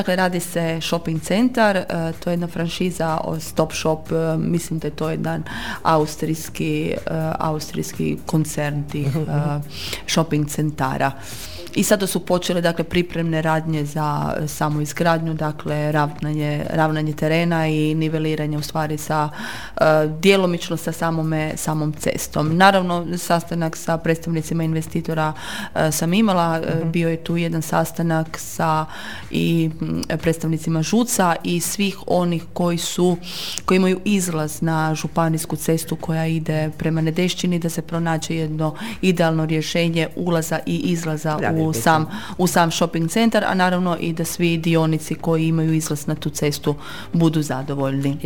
Dakle, radi se shopping centar, to je jedna franšiza Stop Shop, mislim da je to jedan austrijski koncern tih shopping centara. I sada su počele, dakle, pripremne radnje za samu izgradnju, dakle, ravnanje terena i niveliranje u stvari sa djelomično sa samom cestom. Naravno, sastanak sa predstavnicima investitora sam imala, bio je tu jedan sastanak sa i predstavnicima ŽUC-a i svih onih koji imaju izlaz na županijsku cestu koja ide prema Nedešćini, da se pronađe jedno idealno rješenje ulaza i izlaza u sam shopping centar, a naravno i da svi dionici koji imaju izlaz na tu cestu budu zadovoljni.